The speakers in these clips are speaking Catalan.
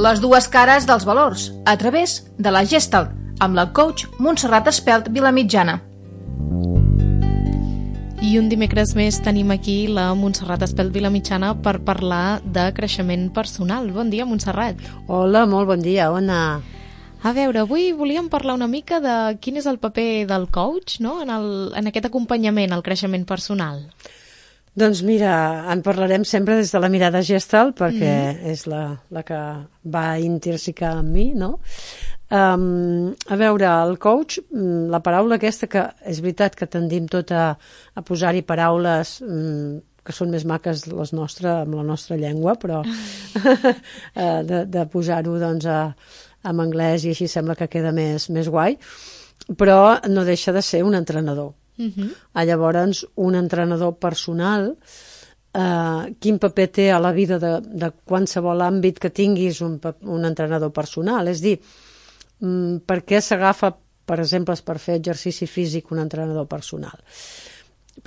les dues cares dels valors, a través de la Gestalt, amb la coach Montserrat Espelt Vilamitjana. I un dimecres més tenim aquí la Montserrat Espelt Vilamitjana per parlar de creixement personal. Bon dia, Montserrat. Hola, molt bon dia, Ona. A veure, avui volíem parlar una mica de quin és el paper del coach, no?, en aquest acompanyament al creixement personal. Doncs mira, en parlarem sempre des de la mirada Gestalt, perquè és la que va intrínseca en mi, no? A veure, el coach, la paraula aquesta, que és veritat que tendim tot a posar-hi paraules que són més maques amb la nostra llengua, però de posar-ho doncs en anglès i així sembla que queda més guai, però no deixa de ser un entrenador. Llavors, un entrenador personal, quin paper té a la vida de qualsevol àmbit que tinguis un entrenador personal? És dir, per què s'agafa, per exemple, per fer exercici físic un entrenador personal?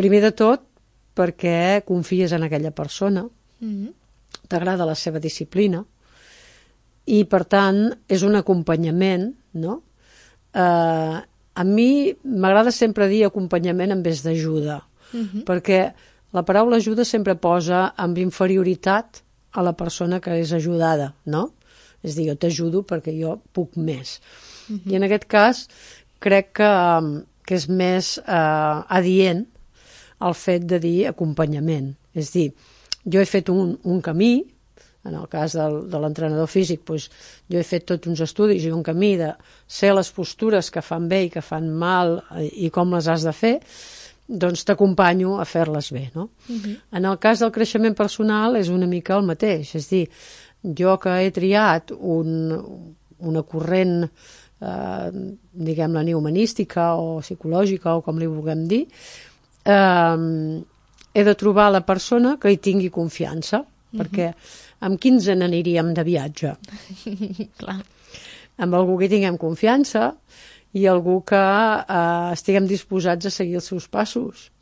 Primer de tot, perquè confies en aquella persona, t'agrada la seva disciplina, i per tant és un acompanyament, no? A mi m'agrada sempre dir acompanyament en vez d'ajuda, perquè la paraula ajuda sempre posa amb inferioritat a la persona que és ajudada, no? És a dir, jo t'ajudo perquè jo puc més. I en aquest cas crec que és més adient el fet de dir acompanyament. És a dir, jo he fet un camí, en el cas de l'entrenador físic, doncs, jo he fet tots uns estudis i un camí de ser les postures que fan bé i que fan mal i com les has de fer, doncs t'acompanyo a fer-les bé, no? En el cas del creixement personal és una mica el mateix, és a dir, jo que he triat una corrent, diguem-la, humanística o psicològica o com li vulguem dir, he de trobar la persona que hi tingui confiança, perquè amb qui ens n'aniríem de viatge? Clar. Amb algú que hi tinguem confiança i algú que estiguem disposats a seguir els seus passos,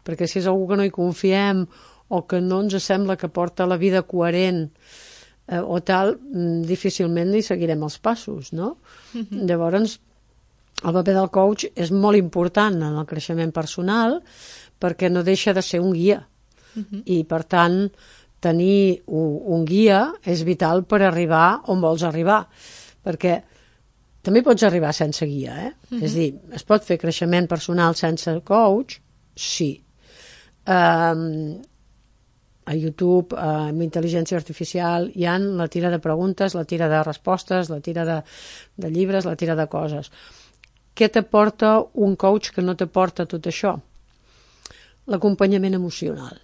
perquè si és algú que no hi confiem o que no ens sembla que porta la vida coherent o tal, difícilment li seguirem els passos, no? Llavors, el paper del coach és molt important en el creixement personal perquè no deixa de ser un guia. I, per tant, tenir un guia és vital per arribar on vols arribar. Perquè també pots arribar sense guia, És a dir, es pot fer creixement personal sense coach? Sí. A YouTube, amb intel·ligència artificial, hi ha la tira de preguntes, la tira de respostes, la tira de llibres, la tira de coses. Què t'aporta un coach que no t'aporta tot això? L'acompanyament emocional.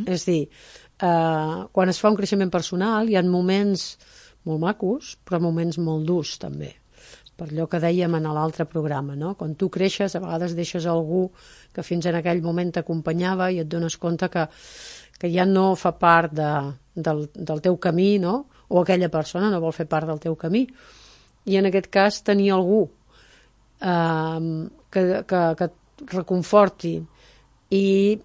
És a dir, quan es fa un creixement personal hi ha moments molt macos, però moments molt durs també. Per allò que dèiem en l'altre programa, no? Quan tu creixes, a vegades deixes algú que fins en aquell moment t'acompanyava i et dones compte que ja no fa part del teu camí, no? O aquella persona no vol fer part del teu camí. I en aquest cas tenir algú que et reconforti i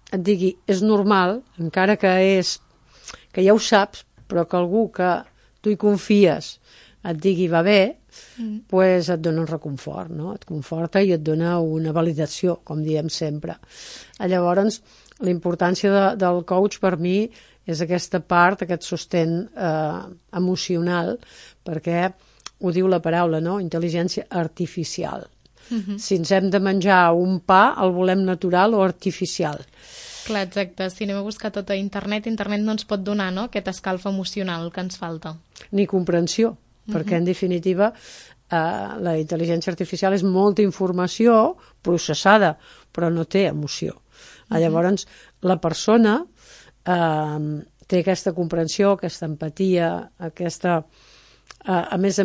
et digui, és normal, encara que ja ho saps, però que algú que tu hi confies et digui va bé, doncs et dona un reconfort, no? Et conforta i et dona una validació, com diem sempre. Llavors, la importància del coach per mi és aquesta part, aquest sostén emocional, perquè ho diu la paraula, no? Intel·ligència artificial. Si ens hem de menjar un pa, el volem natural o artificial. Clar, exacte. Si anem a buscar tot a internet no ens pot donar, no?, aquest escalf emocional que ens falta. Ni comprensió, perquè en definitiva la intel·ligència artificial és molta informació processada, però no té emoció. Llavors, la persona té aquesta comprensió, aquesta empatia, aquesta... A més,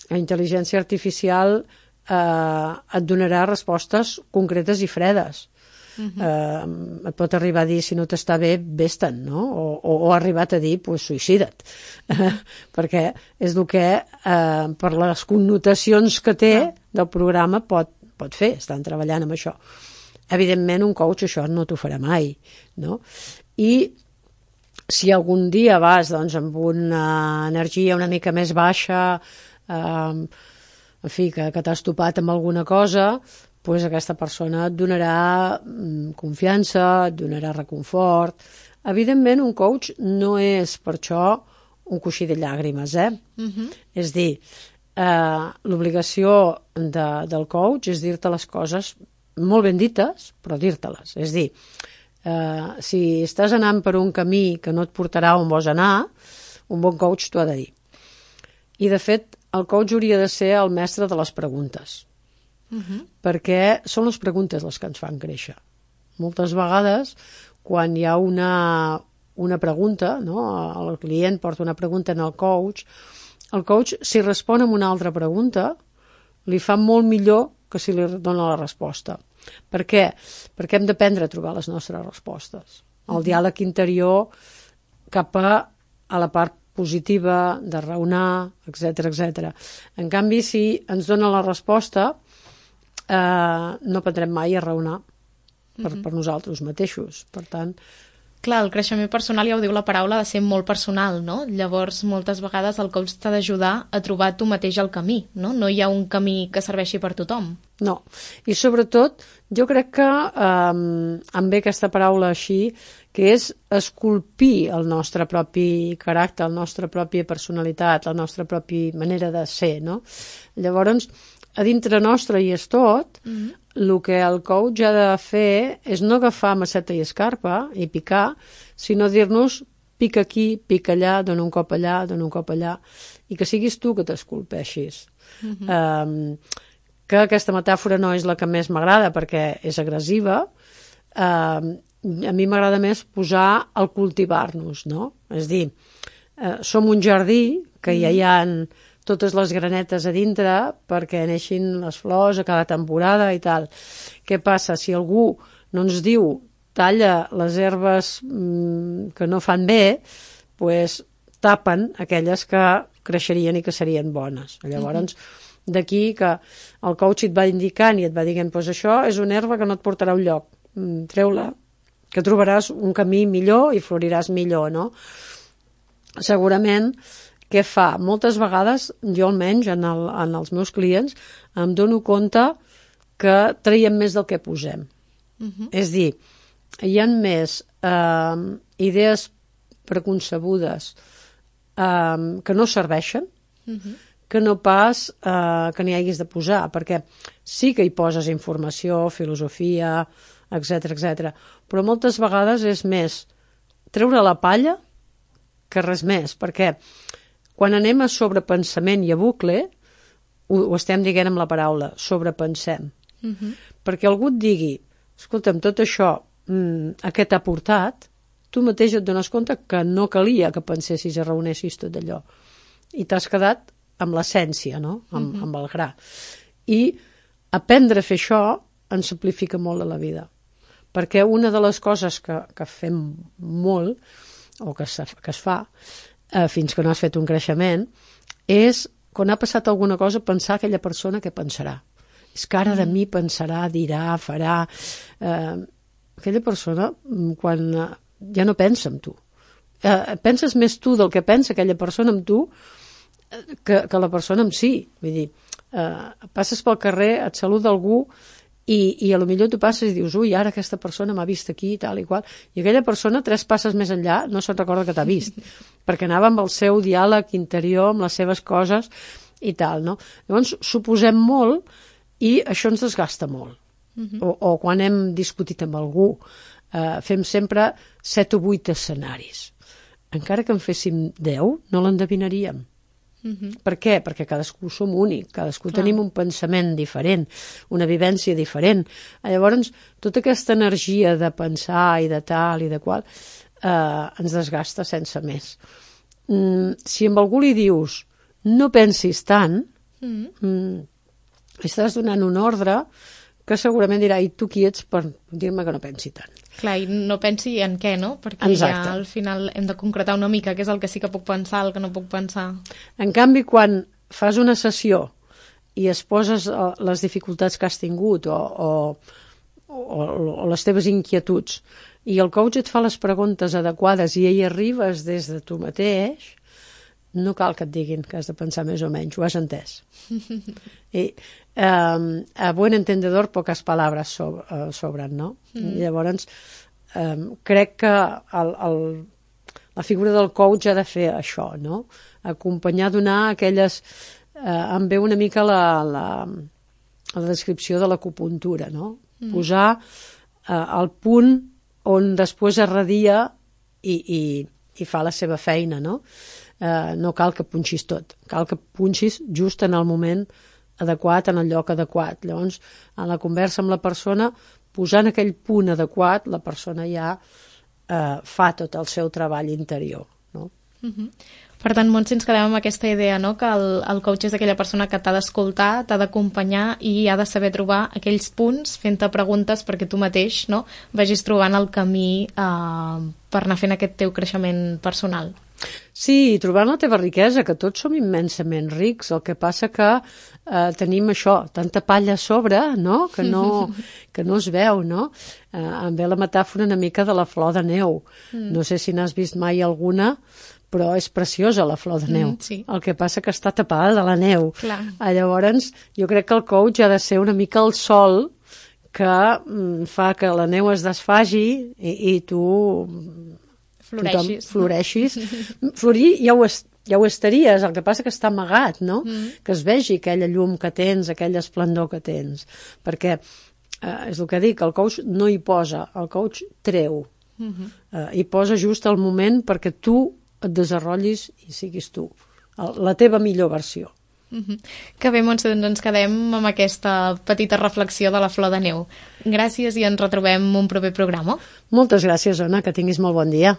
la intel·ligència artificial et donarà respostes concretes i fredes. Et pot arribar a dir, si no t'està bé, vés-te'n, no? O ha arribat a dir, pues, suïcida't. Perquè és el que, per les connotacions que té del programa, pot fer, estan treballant amb això. Evidentment, un coach això no t'ho farà mai, no? I si algun dia vas doncs, amb una energia una mica més baixa, en fi, que t'has topat amb alguna cosa, doncs aquesta persona et donarà confiança, et donarà reconfort. Evidentment, un coach no és per això un coixí de llàgrimes, És dir, l'obligació del coach és dir-te les coses molt ben dites, però dir-te-les. És dir, si estàs anant per un camí que no et portarà on vols anar, un bon coach t'ho ha de dir. I, de fet, el coach hauria de ser el mestre de les preguntes, perquè són les preguntes les que ens fan créixer. Moltes vegades, quan hi ha una pregunta, no? El client porta una pregunta en el coach, si respon amb una altra pregunta, li fa molt millor que si li dona la resposta. Per què? Perquè hem d'aprendre a trobar les nostres respostes. El diàleg interior cap a la part positiva, de raonar, etc. En canvi, si ens dona la resposta, no aprendrem mai a raonar per nosaltres mateixos. Per tant... Clar, el creixement personal, ja ho diu la paraula, ha de ser molt personal, no? Llavors, moltes vegades el coach t'ha d'ajudar a trobar tu mateix el camí, no? No hi ha un camí que serveixi per tothom. No, i sobretot, jo crec que em ve aquesta paraula així, que és esculpir el nostre propi caràcter, la nostra pròpia personalitat, la nostra pròpia manera de ser, no? Llavors, a dintre nostre hi és tot, el que el coach ha de fer és no agafar maceta i escarpa i picar, sinó dir-nos pica aquí, pica allà, dona un cop allà, dona un cop allà, i que siguis tu que t'esculpeixis. Que aquesta metàfora no és la que més m'agrada perquè és agressiva, a mi m'agrada més posar el cultivar-nos, no? És dir, som un jardí que ja hi ha totes les granetes a dintre perquè neixin les flors a cada temporada i tal. Què passa? Si algú no ens diu talla les herbes que no fan bé, doncs tapen aquelles que creixerien i que serien bones. Llavors, d'aquí que el coach et va indicant i et va dient doncs això és una herba que no et portarà a un lloc. Treu-la, que trobaràs un camí millor i floriràs millor, no? Segurament, què fa? Moltes vegades, jo almenys, en els meus clients, em dono compte que traiem més del que posem. És dir, hi ha més idees preconcebudes que no serveixen, que no pas que n'hi haguis de posar, perquè sí que hi poses informació, filosofia, etc, però moltes vegades és més treure la palla que res més, perquè quan anem a sobrepensament i a bucle, ho estem dient amb la paraula, sobrepensem. Perquè algú et digui, escolta'm, tot això, a què t'ha portat, tu mateix et dones compte que no calia que pensessis i raonessis tot allò. I t'has quedat amb l'essència, no? Amb el gra. I aprendre a fer això ens simplifica molt la vida. Perquè una de les coses que fem molt, o que es fa, fins que no has fet un creixement, és, quan ha passat alguna cosa, pensar aquella persona què pensarà. És que ara de mi pensarà, dirà, farà... Aquella persona, quan ja no pensa en tu. Penses més tu del que pensa aquella persona en tu que la persona en si. Vull dir, passes pel carrer, et saluda algú i a lo millor tu passes i dius ui, ara aquesta persona m'ha vist aquí, tal i qual, i aquella persona 3 passes més enllà no se'n recorda que t'ha vist, perquè anava amb el seu diàleg interior, amb les seves coses i tal, no? Llavors, suposem molt i això ens desgasta molt. O quan hem discutit amb algú, fem sempre 7 o 8 escenaris. Encara que en féssim 10, no l'endevinaríem. Per què? Perquè cadascú som únic, cadascú tenim un pensament diferent, una vivència diferent. Llavors, tota aquesta energia de pensar i de tal i de qual ens desgasta sense més. Si amb algú li dius no pensis tant, estàs donant un ordre que segurament dirà, i tu qui ets per dir-me que no pensi tant? Clar, i no pensi en què, no? Perquè ja al final hem de concretar una mica què és el que sí que puc pensar, el que no puc pensar. En canvi, quan fas una sessió i es poses les dificultats que has tingut o o les teves inquietuds, i el coach et fa les preguntes adequades i hi arribes des de tu mateix, no cal que et diguin que has de pensar més o menys, ho has entès. I a buen entendedor pocas palabras sobran, no? Llavors, crec que la figura del coach ha de fer això, no? Acompanyar, donar aquelles... em ve una mica la descripció de l'acupuntura, no? Posar el punt on després es radia i fa la seva feina, no? No cal que punxis tot, cal que punxis just en el moment adequat, en el lloc adequat. Llavors, en la conversa amb la persona, posant aquell punt adequat, la persona ja fa tot el seu treball interior, no? Per tant, Montse, ens quedem amb aquesta idea, no? Que el coach és aquella persona que t'ha d'escoltar, t'ha d'acompanyar i ha de saber trobar aquells punts fent-te preguntes perquè tu mateix, no, vagis trobant el camí per anar fent aquest teu creixement personal. Sí, i trobant la teva riquesa, que tots som immensament rics, el que passa que tenim això, tanta palla a sobre, no? Que no es veu, no? Em ve la metàfora una mica de la flor de neu. No sé si n'has vist mai alguna, però és preciosa la flor de neu. Sí. El que passa que està tapada de la neu. Clar. Llavors, jo crec que el coach ha de ser una mica el sol que fa que la neu es desfagi i tu... Floreixis. Florir ja ho estaries, el que passa que està amagat, no? Que es vegi aquella llum que tens, aquell esplendor que tens. Perquè, és el que dic, el coach no hi posa, el coach treu. Hi posa just el moment perquè tu et desenvolupeis i siguis tu, la teva millor versió. Que bé, Montse, doncs ens quedem amb aquesta petita reflexió de la flor de neu. Gràcies i ens retrobem un proper programa. Moltes gràcies, Ona, que tinguis molt bon dia.